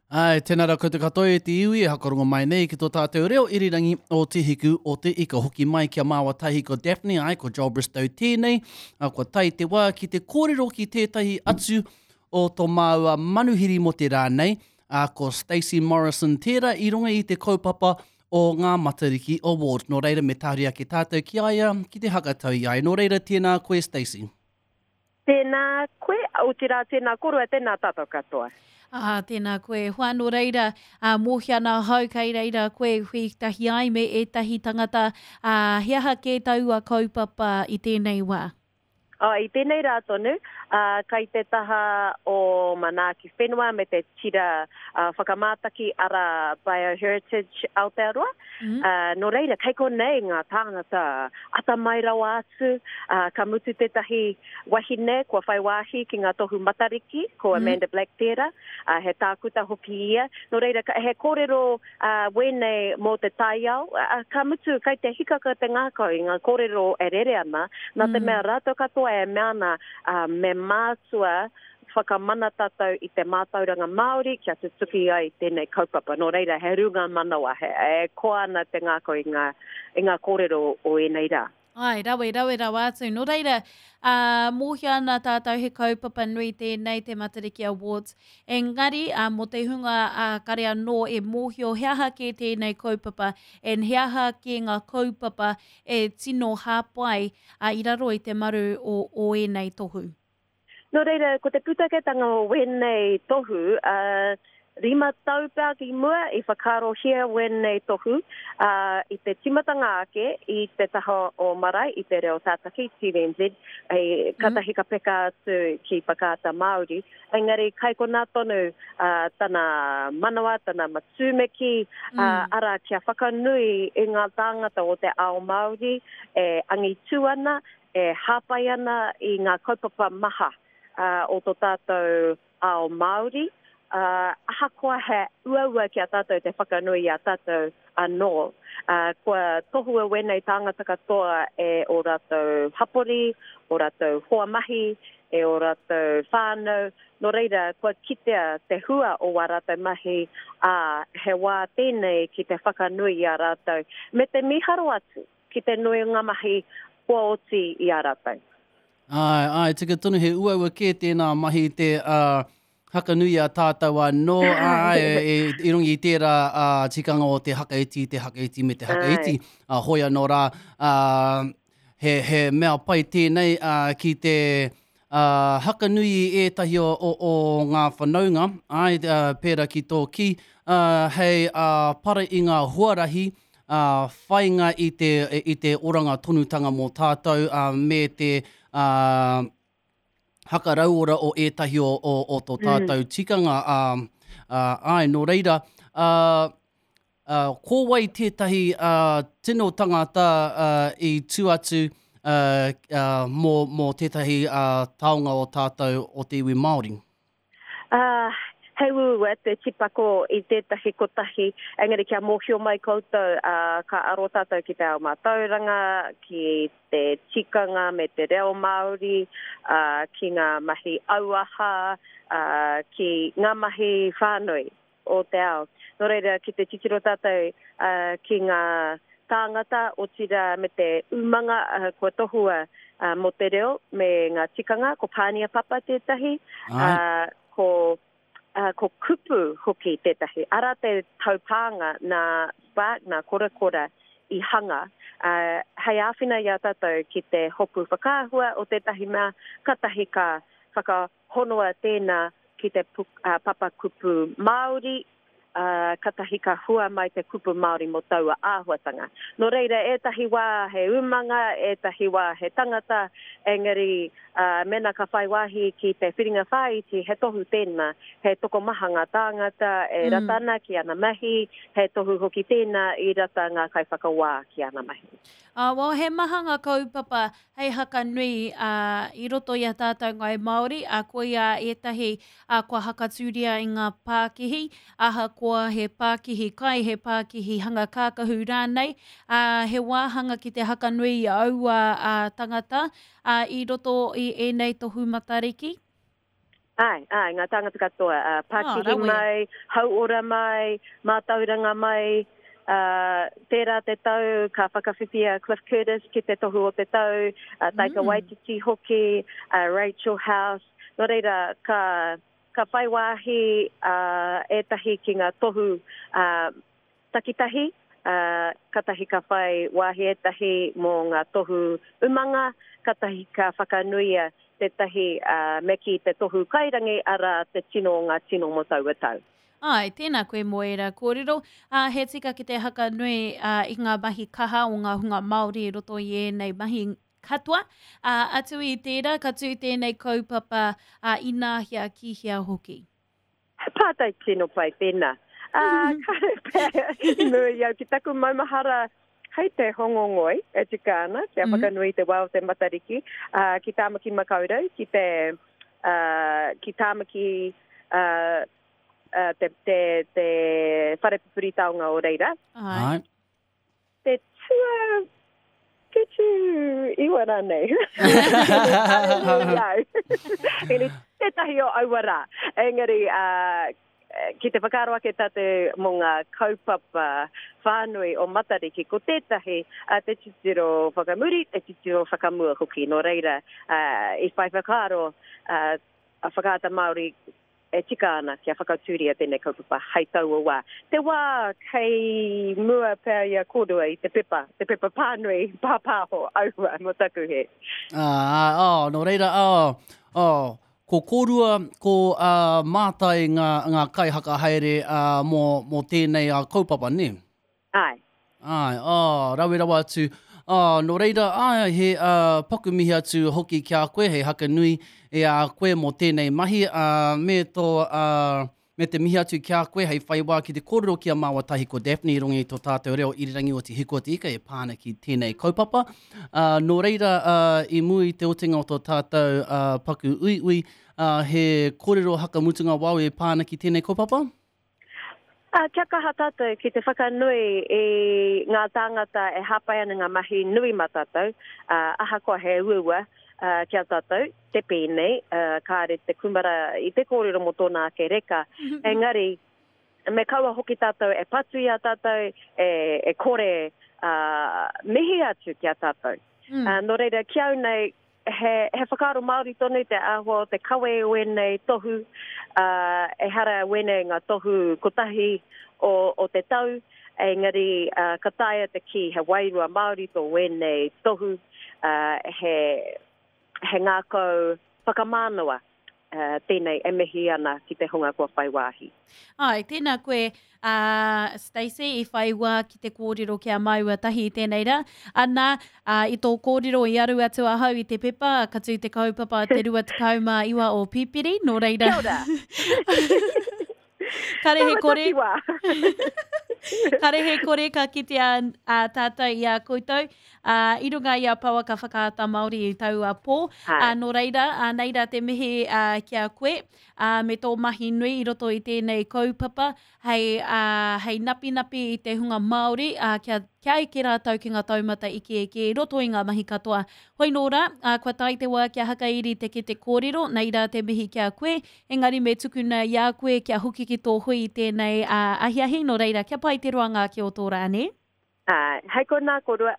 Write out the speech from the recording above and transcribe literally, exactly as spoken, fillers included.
Ai, tēnā rā koutou katoa e te iwi e hakarongo mai nei ki tō tātou reo irirangi o Te Hiku o Te Ika. Hoki mai ki a māua tahi ko Daphne, ai, ko Joel Bristow tēnei. A, kua tae te wā ki te kōrero ki tētahi atu o tō māua manuhiri mō te rā nei, a, ko Stacey Morrison tērā i runga i te kaupapa o ngā Matariki Award. Nō reira, me tahuri ake tātou ki a ia, ki te hakatau i a ia. Nō reira, tēnā koe, Stacey. Tēnā koe, otirā tēnā koroua, tēnā tātou katoa. Ah, tēnā koe. Hoa, nō reira, ah, mōhio ana ahau kei reira koe hui tahi ai me ētahi tangata. Ah, he aha kē taua kaupapa i tēnei wā? Oh, i tēnei rā tonu, uh, kai te taha o Manaaki Whenua me te tira uh, whakamātaki ara Bioheritage Aotearoa. Mm. Uh, nō reira, kei konei ngā tāngata atamai rawa atu, uh, ka mutu tētahi wahine kua whai wāhi ki ngā tohu Matariki, ko mm. Amanda Black tērā, uh, he tākuta hoki ia. Nō reira, he kōrero uh, wēnei mō te taiao, uh, ka mutu kai te hikaka te ngākau i ngā kōrero e rere ana, nā te mm. mea rātou katoa e mea ana uh, me mātua whakamana tātou i te mātauranga Māori kia tutuki ai tēnei kaupapa. Nō reira, he runga manawa, he, e koa ana te ngākau i ngā, i ngā kōrero o ēnei rā. Ai, rawe, rawe rawa atu. Nō reira, uh, mōhio ana tātou he kaupapa nui tēnei te Matariki Awards. Engari, uh, mō te hunga uh, kare anō e mōhio he aha kē tēnei kaupapa, and he aha kē ngā kaupapa e tino hāpai uh, i raro i te maru o, o ēnei tohu. Nō reira, ko te pūtaketanga o wēnei tohu, uh, rima tau pea ki mua i whakaarohia wēnei tohu uh, i te timatanga ake i te taha o Marae, i te reo tātaki, T V N Z, e, katahi ka peka atu ki Whakaata Māori. Engari, kai konā tonu uh, tana manawa, tana matūmeki, mm. uh, ara kia whakanui i ngā tāngata o te ao Māori e angitū ana, e hāpai ana i ngā kaupapa maha uh, o tō tātou ao Māori. Uh, ahakoa he uaua ki a tātou te whakanui i a tātou anō. Uh, kua tohua wēnei tāngata katoa e o rātou hapori, o rātou hoa mahi, e o rātou whānau. Nō reira, kua kitea te hua o wā rātou mahi, ā, he wā tēnei ki te whakanui i a rātou. Me te miharo atu ki te nui o ngā mahi kua oti i a rātou. Ai, ai, tika tonu he uaua kē tēnā mahi te uh, hakanui a tātou anō, ai, e, i runga i tērā uh, tikanga o te hakaiti, te hakaiti me te hakaiti. Uh, hoi anō rā, uh, he, he mea pai tēnei uh, ki te uh, hakanui i ētahi o, o, o ngā whanaunga, ai, uh, pērā ki tō ki, uh, hei uh, para i ngā huarahi, uh, whainga i te, i te oranga tonutanga mō tātou, uh, me te uh, hakarauora o ētahi o, o, o tō tātou mm. tikanga. Uh, uh, ai, nō reira, uh, uh, ko wai tētahi uh, tino tangata uh, i tū atu uh, uh, mō, mō tētahi uh, taonga o tātou o te iwi Māori? Uh, hei uaua te tipako i tētahi kotahi, engari kia mōhio mai koutou, uh, ka aro tātou ki te ao mātauranga, ki te tikanga me te reo Māori, uh, ki ngā mahi auaha, uh, ki ngā mahi whānui o te ao. Nō reira, ki te titiro tātou uh, ki ngā tāngata, otirā me te umanga uh, kua tohua uh, mō te reo me ngā tikanga, ko Pānia Papa tētahi, uh, ko Uh, ko kupu hoki tētahi. Ara te taupānga nā Spark, nā Korakora i hanga. Uh, hei āwhina i a tātou ki te hopu whakaahua o tētahi mea, katahi ka whakahonoa tēnā ki te puk, uh, papa kupu Māori, uh, katahi ka hua mai te kupu Māori mō taua āhuatanga. Nō reira, ētahi wā he umanga, ētahi wā he tangata, engari uh, mena ka whai wāhi ki te whiringa whāiti, he tohu tēnā, he tokomaha ngā tāngata e mm. rata ana ki ana mahi, he tohu hoki tēnā i rata ngā kaiwhakawā ki ana mahi. Uh, well, he maha ngā kaupapa hei hakanui uh, i roto i a tātou ngai Māori, uh, koia ētahi uh, kua hakatūria i ngā pākihi, ahakoa he pākihi kai, he pākihi hanga kākahu rānei, uh, he wāhanga ki te hakanui i aua uh, tangata uh, i roto i ēnei tohu Matariki. Ai, ai, ngā tāngata katoa. Uh, pākihi oh, mai, hauora mai, mātauranga mai, uh, tērā te tau ka whakawhiwhia Cliff Curtis ki te tohu o te tau, uh, Taika mm. Waititi hoki, uh, Rachel House. Nō reira, ka, ka whai wāhi uh, ētahi ki ngā tohu uh, takitahi, uh, katahi ka whai wāhi ētahi mō ngā tohu umanga, katahi ka whakanuia tētahi uh, me ki te tohu kairangi, ara te tino o ngā tino mō taua tau. Ai, tēnā koe mō ērā kōrero. Uh, he tika ki te haka nui uh, i ngā mahi kaha o ngā hunga Māori i roto i ēnei mahi katoa. Uh, atu i tērā, ka tū tēnei kaupapa uh, inahea ki hea hoki. He pātai tino pai tēnā. Uh, ka i mua i au ki taku maumahara hei te Hongongoi e tika ana, kia mm -hmm. whakanui te wā o te Matariki, uh, ki Tāmaki Makaurau, ki te uh, ki Tāmaki uh, uh, te, te, te whare pupuri taonga o reira. Ai. Te tua whitu iwa rānei. Engari, tētahi o aua rā. Engari, uh, ki te whakaaro ake tātou mō ngā kaupapa whānui o Matariki, ko tētahi uh, te titiro whakamuri, te titiro whakamua hoki. Nō reira, uh, i whai whakaaro uh, a Whakaata Māori e tika ana kia whakatūria tēnei kaupapa hei taua wā. Te wā kei mua pea i a kōrua i te pepa, te pepa pānui, pāpāho, aua, mō taku he. Ah, oh, nō reira, oh, oh, ko kōrua, ko uh, mātai ngā, ngā kaihaka haere uh, mō, mō tēnei uh, kaupapa, ne? Ai. Ai, oh, rawe rawa atu. Oh, nō reira, ai, he uh, paku mihi atu hoki ki a koe, he haka nui e a koe mō tēnei mahi, uh, me, tō, uh, me te mihi atu ki a koe, hei whai wā ki te kōrero ki a māua tahi ko Daphne i runga i tō tātou reo irirangi o Te Hiku o Te Ika e pā ana ki tēnei kaupapa. Uh, nō reira, uh, i mua i te otinga o tō tātou uh, paku uiui, uh, he kōrero hakamutunga wau e pā ana ki tēnei kaupapa? Uh, kia kaha tātou ki te whakanui i ngā tāngata e hāpai ana ngā mahi nui mā tātou, uh, ahakoa he uaua uh, kia tātou, te pēnei, uh, kāre te kumara i te kōrero mō tōna ake reka. Engari, me kaua hoki tātou e patu i a tātou, e, e kore uh, mihi atu ki a tātou. Mm. Uh, nō reira, ki au nei, he, he whakaaro Māori tonu te āhua o te kawe o ēnei tohu, uh, ehara wēnei ngā tohu kotahi o, o te tau, engari uh, ka taea te kī he wairua Māori tō wēnei tohu, uh, he, he ngākau whakamānawa uh, tēnei e mihi ana ki te hunga kua whai wāhi. Ai, tēnā koe, uh, Stacey, i whai wā ki te kōrero ki a māua tahi i tēnei rā. Ana, uh, i tō kōrero i aru atu ahau i te pepa, ka tū te kaupapa te rua tekau mā iwa o Pipiri, nō reira. Kia ora! Kare he kore. Taua takiwā. Kare he kore ka kitea uh, tātou i a koutou. Uh, i runga i a Pouaka Whakaata Māori i taua pō. Hai. Uh, nō reira, uh, nei rā te mihi uh, ki a koe, uh, me tō mahi nui i roto i tēnei kaupapa, hei, uh, hei napinapi i te hunga Māori, uh, kia, kia eke rātou ki ngā taumata ike eke i roto i ngā mahi katoa. Hoi nō rā, uh, kua tae te wā kia hakairi te kete kōrero, nei rā te mihi ki a koe, engari me tukuna i a koe kia hoki ki tō hui i tēnei uh, ahiahi, nō reira, kia pai te roanga ake o tō rā, ne? Ai, hei konā kōrua.